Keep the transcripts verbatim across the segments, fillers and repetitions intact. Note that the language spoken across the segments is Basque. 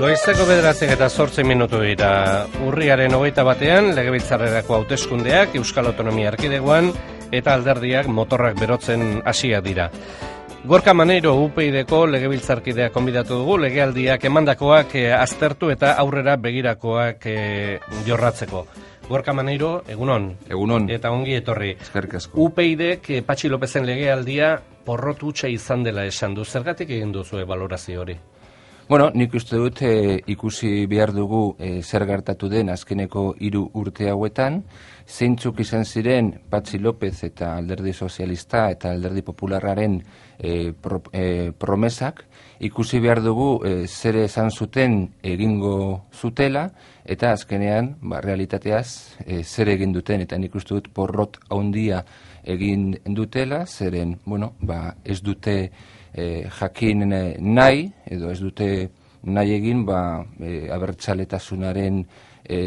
Goizeko bederatziak eta zortzi minutu dira. Urriaren hogeita batean, legebiltzarrerako hauteskundeak Euskal Autonomia Erkidegoan eta alderdiak motorrak berotzen hasiak dira. Gorka Maneiro U P Yko legebiltzarkideak konbidatu dugu, legealdiak emandakoak e, aztertu eta aurrera begirakoak e, jorratzeko. Gorka Maneiro, egunon. Egunon. Eta ongi etorri. Eskerrik asko. U P Ydek e, Patxi Lopezen legealdia porrot hutsa izan dela esan du. Zergatik egin duzu balorazio hori? Bueno, nik uste dut e, ikusi behar dugu e, zer gertatu den azkeneko hiru urte hauetan, zeintzuk izan ziren Patxi Lopez eta Alderdi Sozialista eta Alderdi Popularraren e, pro, e, promesak, ikusi behar dugu e, zer esan zuten egingo zutela, eta azkenean, ba, realitateaz, e, zer egin duten, eta nik uste dut porrot handia egin dutela, zeren, bueno, ba, ez dute E, jakin e, nahi, edo ez dute nahi egin, ba, e, abertzaletasunaren e,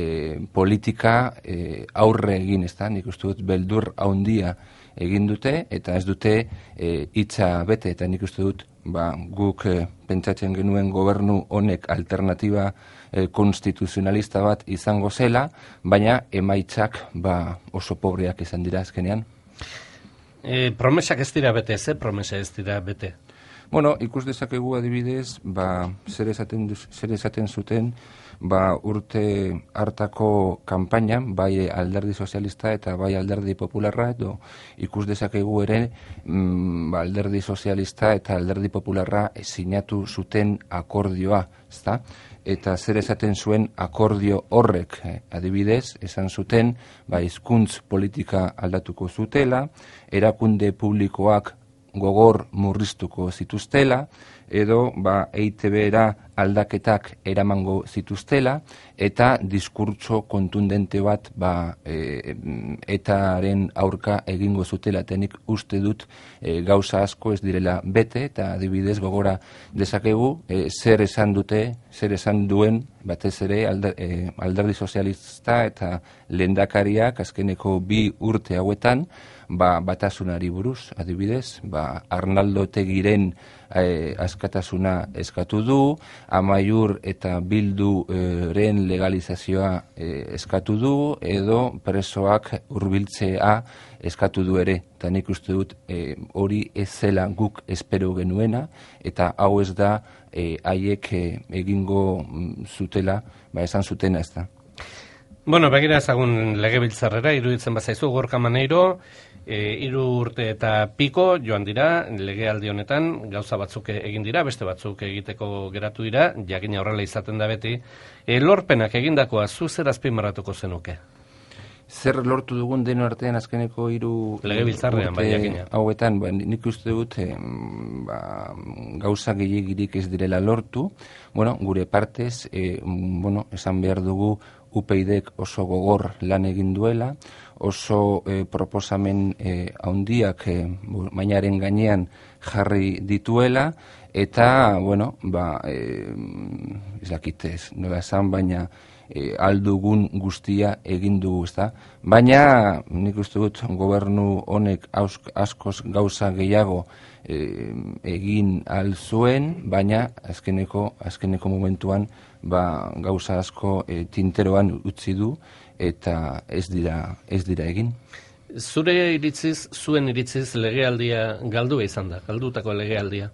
politika e, aurre egin, ez da, nik uste dut beldur handia egin dute, eta ez dute e, hitza bete, eta nik uste dut ba, guk e, pentsatzen genuen gobernu honek alternatiba e, konstituzionalista bat izango zela, baina emaitzak ba, oso pobreak izan dira azkenean. E, promesak ez dira bete, ze promesa ez dira bete? Bueno, ikus dezakegu adibidez, ba, zer esaten, zer esaten zuten ba, urte hartako kanpainan, bai Alderdi Sozialista eta bai Alderdi Popularra, edo ikus dezakegu ere mm, ba, Alderdi Sozialista eta Alderdi Popularra sinatu zuten akordioa, ezta? Eta zer esaten zuen akordio horrek, eh, adibidez, esan zuten ba, hizkuntz politika aldatuko zutela, erakunde publikoak gogor murriztuko zituztela, edo ba, E I T B-era aldaketak eramango zituztela, eta diskurtso kontundente bat ba, e, etaren aurka egingo zutela, eta nik uste dut e, gauza asko ez direla bete, eta adibidez gogora dezakegu, e, zer esan dute, zer esan duen, batez ere alder, e, Alderdi Sozialista eta lehendakariak azkeneko bi urte hauetan, ba, batasunari buruz, adibidez, ba, Arnaldo Otegiren e, askatasuna eskatu du, Amaiur eta Bilduren legalizazioa e, eskatu du, edo presoak hurbiltzea eskatu du ere, eta nik uste dut e, hori ez zela guk espero genuena, eta hau ez da e, haiek e, egingo zutela, ba, esan zutena ez da. Bueno, begira ezagun legebiltzarrera, iruditzen bazaizu, Gorka Maneiro, e, hiru urte eta piko joan dira, legealdi honetan, gauza batzuk egin dira, beste batzuk egiteko geratu dira, jakina horrela izaten da beti. E, lorpenak egindakoa, zu zer azpimarratuko zenuke? Zer lortu dugun deno artean azkeneko hiru legebiltzarrean, bai, jakina. Hauetan, ba, nik uste dut eh, ba, gauza gehiagirik ez direla lortu, bueno, gure partez, eh, bueno, esan behar dugu U P Ydek oso gogor lan egin duela, oso eh, proposamen eh, handiak eh, mainaren gainean jarri dituela, eta, bueno, ba, eh, ez dakitez, nola esan, baina e, aldugun guztia egin dugu, ezta? Baina, nik uste dut gobernu honek askoz gauza gehiago e, egin al zuen, baina azkeneko, azkeneko momentuan ba, gauza asko e, tinteroan utzi du, eta ez dira, ez dira egin. Zure iritziz, zuen iritziz legealdia galdua izan da, galdutako legealdia?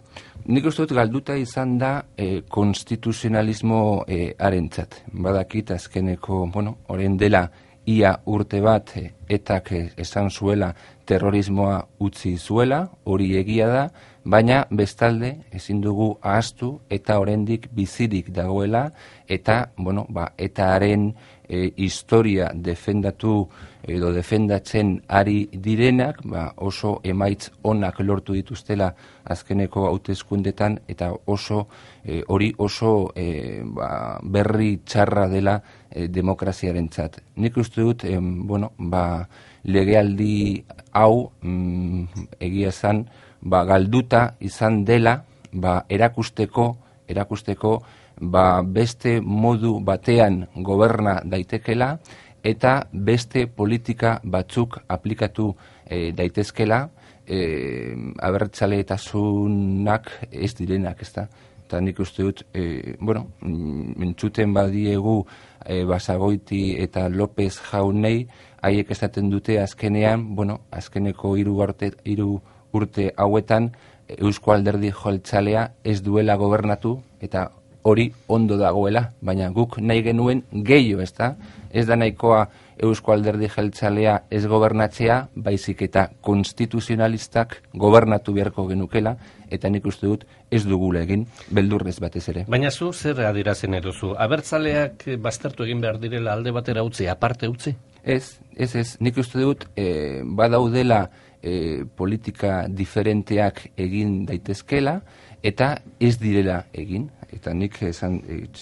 Nik uste dut galduta izan da e, konstituzionalismo e, arentzat. Badakit azkeneko, bueno, orain dela ia urte bat e, etak e, esan zuela terrorismoa utzi zuela, hori egia da, baina bestalde ezin dugu ahaztu eta oraindik bizirik dagoela, eta, bueno, ba, etaren e, historia defendatu edo defendatzen ari direnak, ba, oso emaitz onak lortu dituztela azkeneko hauteskundetan, eta oso e, hori oso e, ba, berri txarra dela e, demokraziarentzat. Nik uste dut, e, bueno, ba, legealdi hau mm, egia esan, ba, galduta izan dela, ba, erakusteko, erakusteko ba, beste modu batean goberna daitekela, eta beste politika batzuk aplikatu e, daitezkela, e, abertzaletasunak ez direnak, ez da? eta nik uste dut, e, bueno, entzuten badiegu e, Basagoiti eta López jaunei, haiek esaten dute azkenean, bueno, azkeneko hiru urte, hiru urte hauetan, Eusko Alderdi Jeltzalea ez duela gobernatu, eta hori ondo dagoela, baina guk nahi genuen gehiago, ez da? Ez da nahikoa Eusko Alderdi Jeltzalea ez gobernatzea, baizik eta konstituzionalistak gobernatu beharko genukela, eta nik uste dut ez dugula egin, beldurrez batez ere. Baina zu zer adirazen eduzu? Abertzaleak baztertu egin behar direla alde batera utzi, aparte utzi? Ez, ez, ez. Nik uste dut eh, badaudela eh, politika diferenteak egin daitezkela, eta ez direla egin. Eta nik esan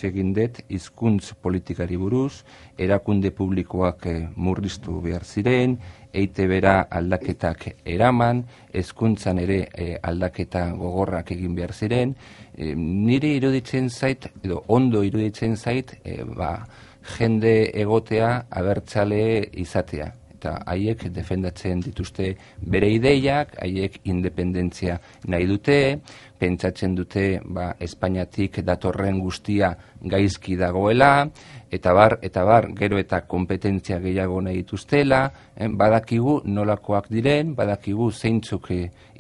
egin dut hizkuntz politikari buruz, erakunde publikoak eh, murriztu behar ziren, E I Te Bera aldaketak eraman, hezkuntzan ere eh, aldaketa gogorrak egin behar ziren. Eh, nire iruditzen zait, edo ondo iruditzen zait, eh, ba, jende egotea abertzale izatea. Eta haiek defendatzen dituzte bere ideiak, haiek independentzia nahi dute, pentsatzen dute ba, Espainiatik datorren guztia gaizki dagoela, eta bar, eta bar, gero eta kompetentzia gehiago nahi dituztela, eh, badakigu nolakoak diren, badakigu zeintzuk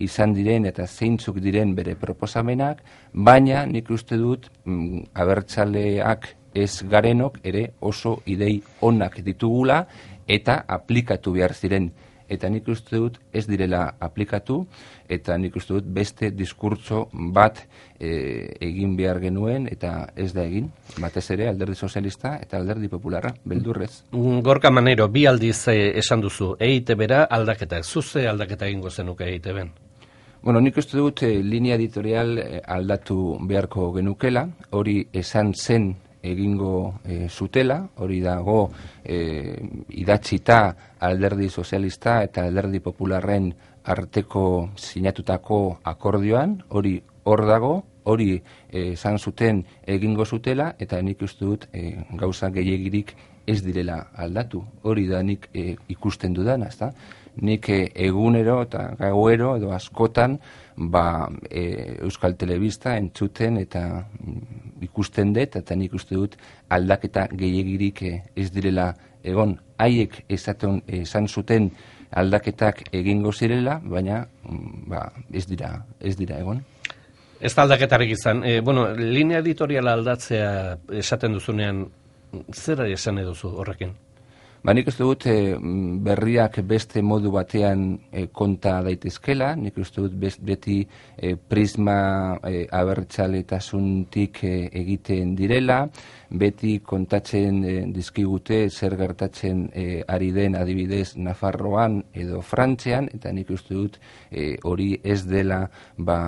izan diren eta zeintzuk diren bere proposamenak, baina nik uste dut mm, abertzaleak ez garenok ere oso idei onak ditugula, eta aplikatu behar ziren. Eta nik uste dut ez direla aplikatu, eta nik uste dut beste diskurtso bat e, egin behar genuen, eta ez da egin. Batez ere Alderdi Sozialista eta Alderdi Popularra, beldurrez. Gorka Maneiro, bi aldiz eh, esan duzu, E I Te Bera aldaketa, zuze aldaketa egingo zenuke E I Te Ben? Bueno, nik uste dut eh, linea editorial eh, aldatu beharko genukela, hori esan zen egingo e, zutela, hori dago e, idatzita Alderdi Sozialista eta Alderdi Popularren arteko sinatutako akordioan, hori hor dago, hori esan zuten egingo zutela, eta nik uste dut e, gauza gehiegirik ez direla aldatu. Hori da nik e, ikusten dudana, ezta? Nik e, egunero eta gauero edo askotan ba, e, Euskal Telebista entzuten eta mm, ikusten dut, eta nik uste dut aldaketa gehiegirik e, ez direla egon. Haiek esaten esan zuten aldaketak egingo zirela, baina mm, ba, ez dira, ez dira egon. Ez da aldaketarik izan. E, bueno, linea editoriala aldatzea esaten duzunean, zer esan eduzu horrekin? Ba, nik uste dut e, berriak beste modu batean e, konta daitezkela, nik uste dut best, beti e, prisma e, abertzaletasuntik e, egiten direla, beti kontatzen e, dizkigute zer gertatzen e, ari den adibidez Nafarroan edo Frantzian, eta nik uste dut e, hori ez dela ba,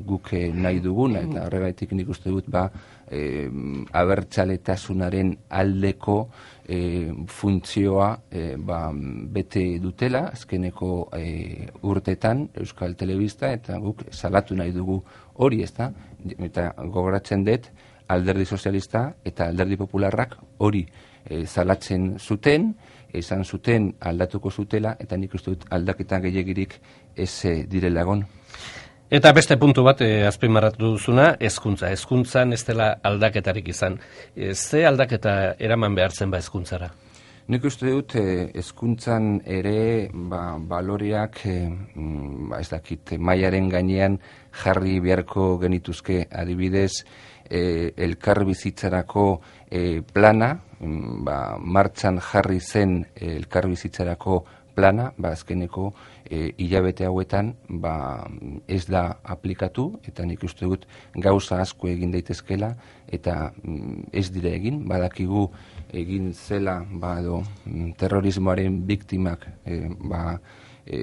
guk nahi duguna, eta horregaitik nik uste dut ba, e, abertzaletasunaren aldeko E, funtzioa e, ba, bete dutela azkeneko e, urtetan Euskal Telebista, eta guk salatu nahi dugu hori, ezta? Eta gogoratzen dut Alderdi Sozialista eta Alderdi Popularrak hori e, salatzen zuten, esan zuten aldatuko zutela, eta nik uste dut aldaketa gehiegirik ez direla egon. Eta beste puntu bat eh, azpimarratu duzuna, hezkuntza. Hezkuntzan ez dela aldaketarik izan. E, ze aldaketa eraman behartzen ba hezkuntzara? Nik uste dut hezkuntzan eh, ere ba, baloreak eh, ba, ez dakit mailaren gainean jarri beharko genituzke, adibidez eh, elkarbizitzarako eh, plana, ba, martxan jarri zen eh, elkarbizitzarako plana, ba, azkeneko e, hilabete hauetan ba, ez da aplikatu, eta nik uste dut gauza asko egin daitezkela, eta mm, ez dire egin, badakigu egin zela ba, do, terrorismoaren biktimak e, ba, e,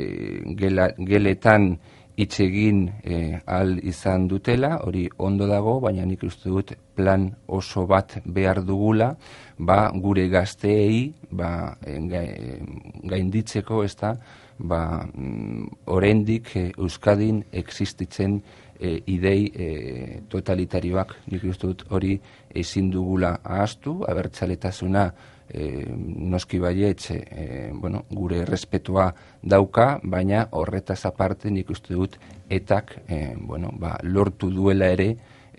gela, geletan hitz egin e, al izan dutela, hori ondo dago, baina nik uste dut plan oso bat behar dugula, ba, gure gazteei ba, gainditzeko, ez da, ba, oraindik e, Euskadin existitzen e, idei e, totalitarioak. Nik uste dut hori ezin dugula ahaztu, abertzaletasuna E, noski baietz e, bueno, gure errespetua dauka, baina horretaz aparte nik uste dut etak e, bueno, ba, lortu duela ere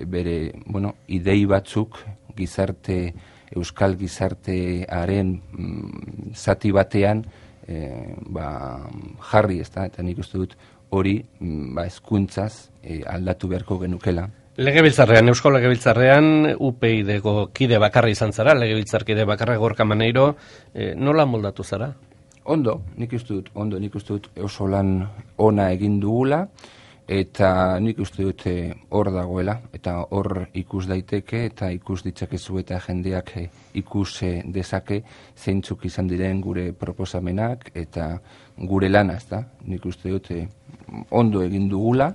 bere, bueno, idei batzuk gizarte, euskal gizartearen mm, zati batean e, ba, jarri, ez da, eta nik uste dut hori mm, ba, hezkuntzaz e, aldatu beharko genukela. Legebiltzarrean, Eusko Legebiltzarrean, U P I D-ko kide bakarra izan zara, legebiltzarkide bakarra Gorka Maneiro, e, nola moldatu zara? Ondo, nik uste dut, ondo, nik uste dut oso lan ona egin dugula, eta nik uste dut hor e, dagoela, eta hor ikus daiteke, eta ikus ditzakezu eta jendeak e, ikus e, dezake zeintzuk izan diren gure proposamenak, eta gure lana, ez da, nik uste dut e, ondo egin dugula,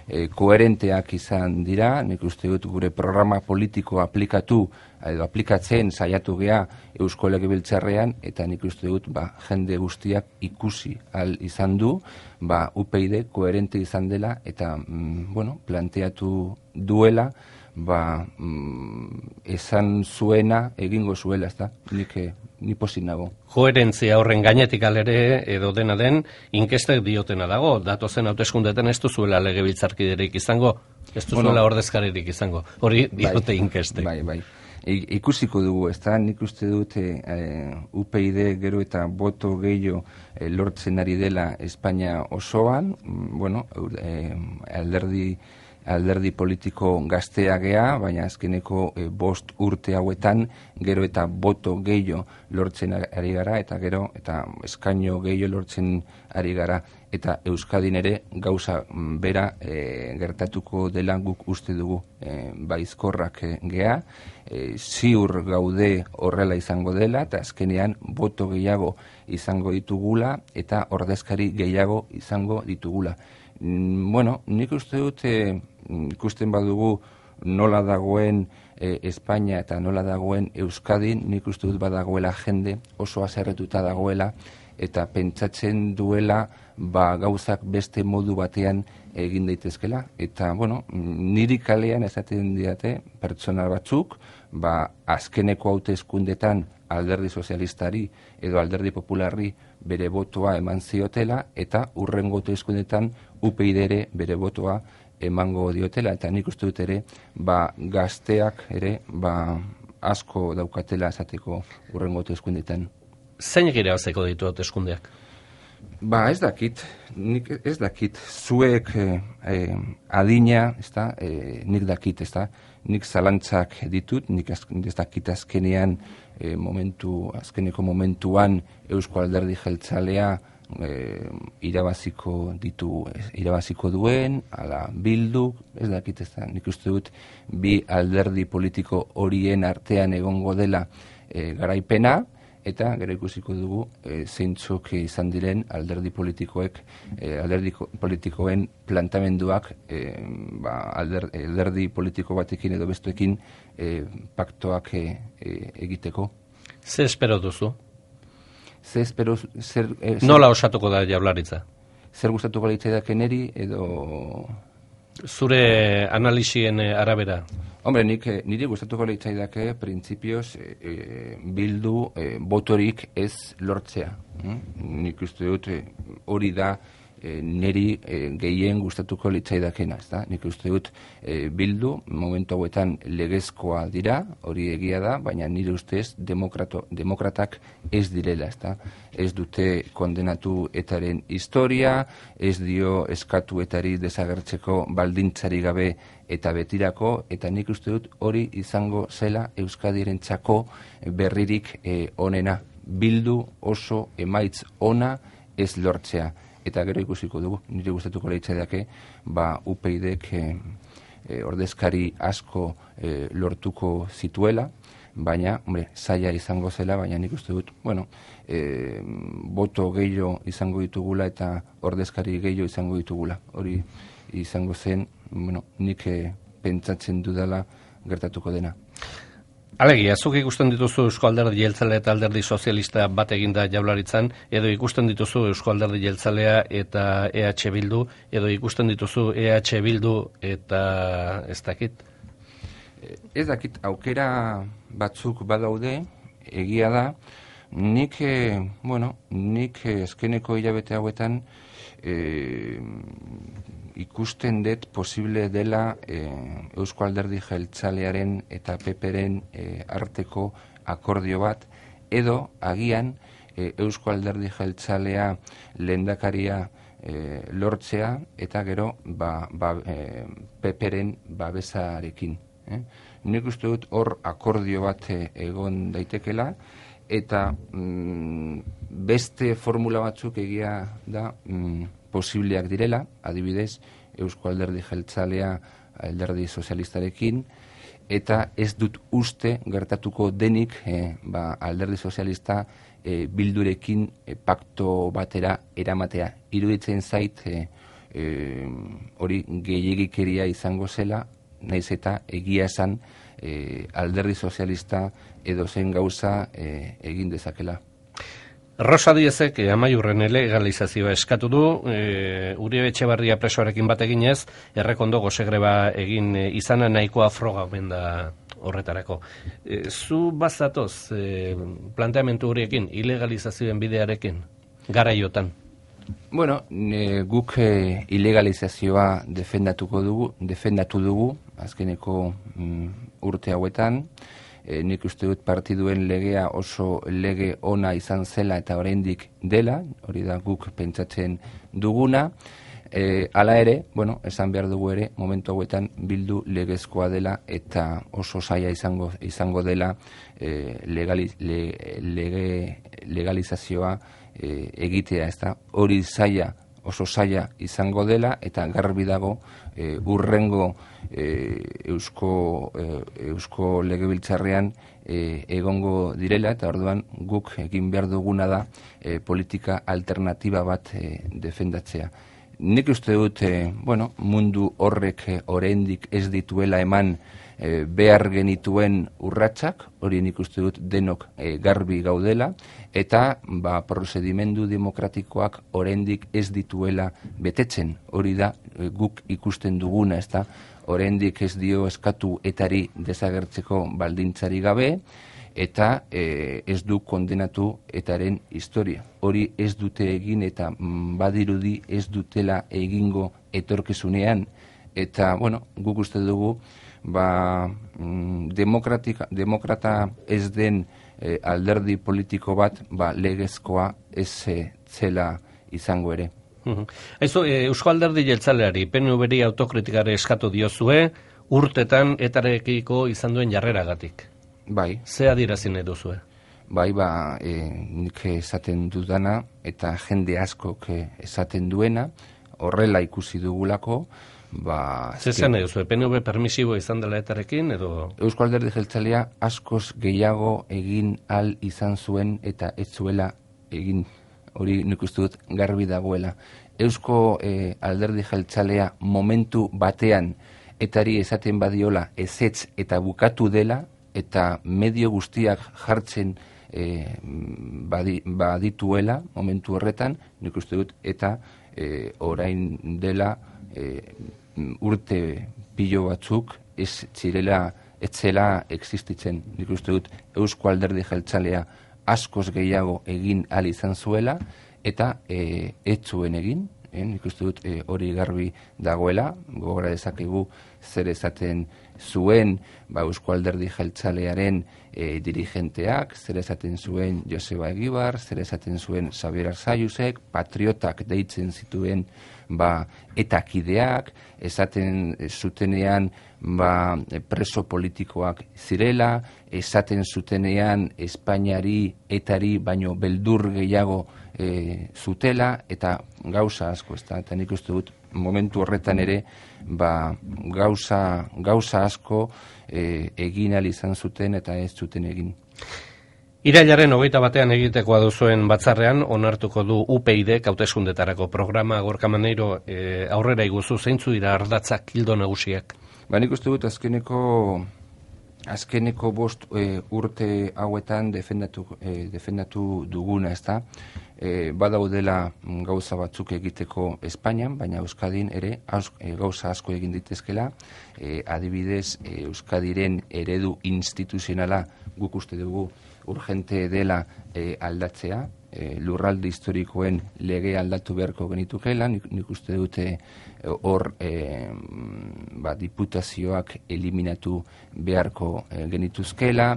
E, koherenteak izan dira, nik uste dut gure programa politiko aplikatu, edo aplikatzen saiatu gea Eusko Legebiltzarrean, eta nik uste dut ba, jende guztiak ikusi al izan du, ba, U P I D koherente izan dela, eta mm, bueno, planteatu duela, ba, mm, esan zuena egingo zuela, ez da, nik ni pozik nago. Koherentzia horren gainetik alere edo dena den, inkestek diotena dago, datozen hauteskundeetan ez duzuela legebiltzarkiderik izango, ez duzuela bueno, ordezkaririk izango, hori diote bai, inkestek. Bai, bai. I, ikusiko dugu, ez da, nik uste dute e, U P I D gero eta boto gehiago e, lortzen ari dela Espainia osoan, bueno, e, alderdi alderdi politiko gaztea gea, baina azkeneko e, bost urte hauetan gero eta boto gehiago lortzen ari gara, eta gero eta eskaino gehiago lortzen ari gara, eta Euskadin ere gauza bera e, gertatuko dela guk uste dugu e, baizkorrak e, gea, e, ziur gaude horrela izango dela, eta azkenean boto gehiago izango ditugula, eta ordezkari gehiago izango ditugula. Bueno, nik uste dut e, ikusten badugu nola dagoen e, Espainia eta nola dagoen Euskadin, nik uste dut badagoela jende oso haserretuta dagoela, eta pentsatzen duela ba, gauzak beste modu batean egin daitezkela. Eta, bueno, niri kalean esaten diate pertsona batzuk, ba, azkeneko hauteskundetan alderdi sozialistari edo alderdi popularri bere botoa eman ziotela, eta hurrengo hauteskundetan U P I D ere bere botoa emango diotela, eta nik uste dut ere ba, gazteak ere ba, asko daukatela esateko hurrengo hauteskundetan. Zein gira bazeko ditu hauteskundeak? Ba, ez dakit, nik ez dakit, zuek eh, eh, adina, ez da, eh, nik dakit, ez da, nik zalantzak ditut, nik ez dakit azkenean, eh, momentu, azkeneko momentuan Eusko Alderdi Jeltzalea eh, irabaziko ditu, irabaziko duen, ala bildu, ez dakit, ez da, nik uste dut bi alderdi politiko horien artean egongo dela eh, garaipena, eta gero ikusiko dugu e, zeintzuk izan diren alderdi politikoek, e, alderdi politikoen plantamenduak e, ba, alder, alderdi politiko batekin edo bestuekin e, paktoak e, e, egiteko. Ze espero duzu? Ze espero... Zer, e, zer, Nola osatuko da Jaurlaritza? Zer gustatuko litzaidak neri edo... Zure analisien arabera? Hombre, nik, niri gustatuko litzaidake printzipioz e, e, bildu e, botorik ez lortzea. Mm? Nik uste dut e, hori da e, niri e, gehien gustatuko litzaidakena, ez da? Nik uste dut e, bildu momentu hauetan legezkoa dira, hori egia da, baina nire ustez demokrato, demokratak ez direla, ez da? Ez dute kondenatu etaren historia, ez dio eskatu etari desagertzeko baldintzari gabe eta betirako, eta nik uste dut hori izango zela Euskadirentzako berririk e, onena. Bildu oso emaitz ona ez lortzea. Eta gero ikusiko dugu, nire gustatuko leitzaideake, ba U P I Dek e, e, ordezkari asko e, lortuko zituela, baina, hombre, zaila izango zela, baina nik uste dut, bueno, e, boto gehiago izango ditugula eta ordezkari gehiago izango ditugula. Hori izango zen, bueno, nik e, pentsatzen dudala gertatuko dena. Alegia, zuk ikusten dituzu Eusko Alderdi Jeltzalea eta Alderdi Sozialista bat eginda Jaurlaritzan, edo ikusten dituzu Eusko Alderdi Jeltzalea eta E H Bildu, edo ikusten dituzu E H Bildu eta ez dakit? Ez dakit, aukera batzuk badaude, egia da, nik, e, bueno, nik eskeneko hilabete hauetan e, ikusten dut posible dela e, Eusko Alderdi Jeltzalearen eta P Pren e, arteko akordio bat, edo agian e, Eusko Alderdi Jeltzalea lehendakaria e, lortzea eta gero ba, ba, e, P Pren babesarekin. Eh? Nik uste dut hor akordio bat e, egon daitekela, eta mm, beste formula batzuk egia da mm, posibleak direla, adibidez, Eusko Alderdi Jeltzalea Alderdi Sozialistarekin, eta ez dut uste gertatuko denik eh, ba, Alderdi Sozialista eh, Bildurekin eh, pakto batera eramatea. Iruditzen zait eh, eh, hori gehiegikeria izango zela, naiz eta egia esan eh, Alderdi Sozialista edo zen gauza eh, egin dezakela. Rosa Diezek eh, Amaiurren legalizazioa eskatu du, e, Uribe Etxebarria presoarekin bat eginez, errekondo gozegreba egin e, izana nahikoa froga omen da horretarako. E, zu bazatoz e, planteamentu horiekin, ilegalizazioen bidearekin, garaiotan? Bueno, e, guk e, ilegalizazioa defendatuko dugu, defendatu dugu, azkeneko mm, urte hauetan. E, nik uste dut partiduen legea oso lege ona izan zela eta oraindik dela, hori da guk pentsatzen duguna. E, hala ere, bueno, esan behar dugu ere, momentu hauetan bildu legezkoa dela eta oso zaila izango, izango dela e, legali, le, lege, legalizazioa e, egitea, ez da, hori zaila, oso zaila izango dela eta garbi dago e, urrengo e, eusko, e, eusko legebiltzarrean e, egongo direla, eta orduan guk egin behar duguna da e, politika alternatiba bat e, defendatzea. Nik uste dut, e, bueno, mundu horrek e, oraindik ez dituela eman e, behar genituen urratsak, hori nik uste dut denok e, garbi gaudela, eta ba, prozedimendu demokratikoak oraindik ez dituela betetzen. Hori da e, guk ikusten duguna, ez da, oraindik ez dio eskatu etari desagertzeko baldintzari gabe, eta e, ez du kondenatu etaren historia. Hori ez dute egin eta mm, badirudi ez dutela egingo etorkizunean, eta bueno, guk uste dugu ba, mm, demokrata ez den e, alderdi politiko bat ba, legezkoa ez e, zela izango ere. Aizu, Eusko Alderdi Jeltzaleari P N V-ri autokritikare eskatu diozue urtetan etarekiko izan duen jarreragatik. Bai. Ze adierazi nahi duzue? Bai, ba, e, nik esaten dudana eta jende askok esaten duena, horrela ikusi dugulako, ba... Zer nahi duzue, P N V permisibo izan dela etarekin, edo... Eusko Alderdi Jeltzalea askoz gehiago egin al izan zuen eta ez zuela egin, hori nik uste dut garbi dagoela. Eusko e, Alderdi Jeltzalea momentu batean etari esaten badiola ezetz eta bukatu dela, eta medio guztiak jartzen e, badi, badituela momentu horretan, nik uste dut, eta e, orain dela e, urte pilo batzuk ez zirela, ez zela existitzen. Nik uste dut Eusko Alderdi Jeltzalea askoz gehiago egin ahal izan zuela, eta e, ez zuen egin, eh? Nik uste dut e, hori garbi dagoela, gogora dezakegu zer esaten zuen ba, Eusko Alderdi Jeltzalearen e, dirigenteak, zer esaten zuen Joseba Egibar, zer esaten zuen Xabier Arzayusek, patriotak deitzen zituen ba, etakideak, esaten zutenean ba, preso politikoak zirela, esaten zutenean Espainiari etari baino beldur gehiago e, zutela, eta gauza asko, ez da, eta nik uste dut momentu horretan ere ba, gauza, gauza asko e, egin ahal izan zuten eta ez zuten egin. Irailaren hogeita batean egitekoa duzuen batzarrean onartuko du U P I D hauteskundetarako programa. Gorka Maneiro, e, aurrera iguzu zeintzu dira ardatzak ildo nagusiak? Ba, nik uste dut azkeneko azkeneko bost e, urte hauetan defendatu, e, defendatu duguna, ez da? E, badaudela gauza batzuk egiteko Espainian, baina Euskadin ere aus, e, gauza asko egin ditezkela, e, adibidez e, Euskadiren eredu instituzionala guk uste dugu urgente dela e, aldatzea, e, lurralde historikoen lege aldatu beharko genitukeela, nik, nik uste dute hor e, ba, diputazioak eliminatu beharko e, genituzkela,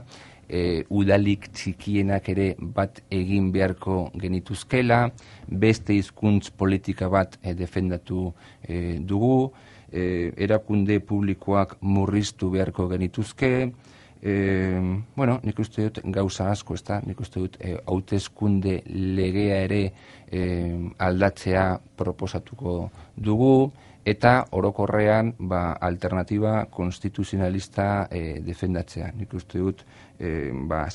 e, udalik txikienak ere bat egin beharko genituzkela, beste hizkuntz politika bat e, defendatu e, dugu, e, erakunde publikoak murriztu beharko genituzke, e, bueno, nik uste dut gauza asko, ez da, nik uste dut e, hauteskunde legea ere e, aldatzea proposatuko dugu, eta orokorrean ba, alternatiba konstituzionalista e, defendatzea. Nik uste dut e, ba,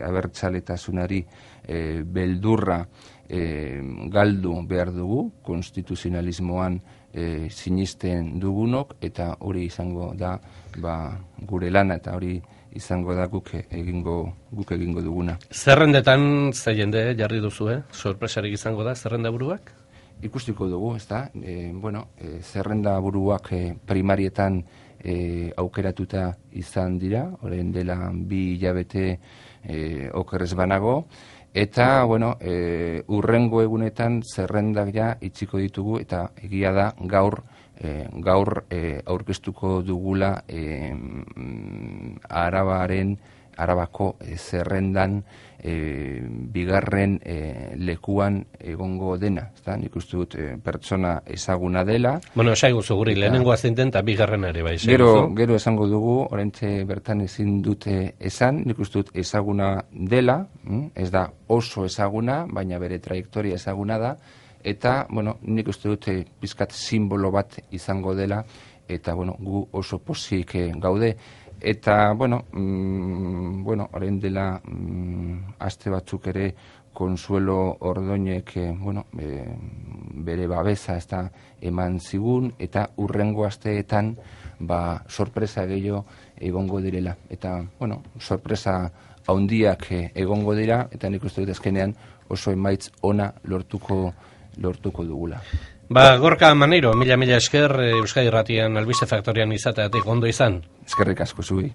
abertzaletasunari e, beldurra e, galdu behar dugu, konstituzionalismoan e, sinisten dugunok, eta hori izango da ba, gure lana, eta hori izango da guk egingo, guk egingo duguna. Zerrendetan ze jende jarri duzu, eh? Sorpresarik izango da zerrenda buruak? Ikustiko dugu, ez da, e, bueno, e, zerrenda buruak e, primarietan e, aukeratuta izan dira, orain dela bi hilabete e, okerrez banago, eta, bueno, e, urrengo egunetan zerrendak ja itxiko ditugu, eta egia da gaur, e, gaur e, aurkeztuko dugula e, Arabaren, Arabako e, zerrendan e, bigarren e, lekuan egongo dena. Ezta? Nik uste dut e, pertsona ezaguna dela. Bueno, esaiguzu guri, lehenengoa zinten eta bigarren ere bai. Gero, gero esango dugu, oraintxe bertan ezin dute esan, nik uste dut ezaguna dela, ez da oso ezaguna, baina bere trajektoria ezaguna da, eta, bueno, nik uste dut e, pizkat simbolo bat izango dela, eta, bueno, gu oso pozik e, gaude. Eta, bueno, mm, bueno, orain dela mm, aste batzuk ere Consuelo Ordoñek, eh, bueno, e, bere babesa ez da eman zigun, eta urrengo asteetan ba, sorpresa gehiago egongo direla. Eta, bueno, sorpresa haundiak eh, egongo dira, eta nik uste dut azkenean oso emaitz ona lortuko, lortuko dugula. Ba, Gorka Maneiro, mila mila esker, Euskadi Irratian Albiste Faktorian izateatik ondo izan. Eskerrik asko zui.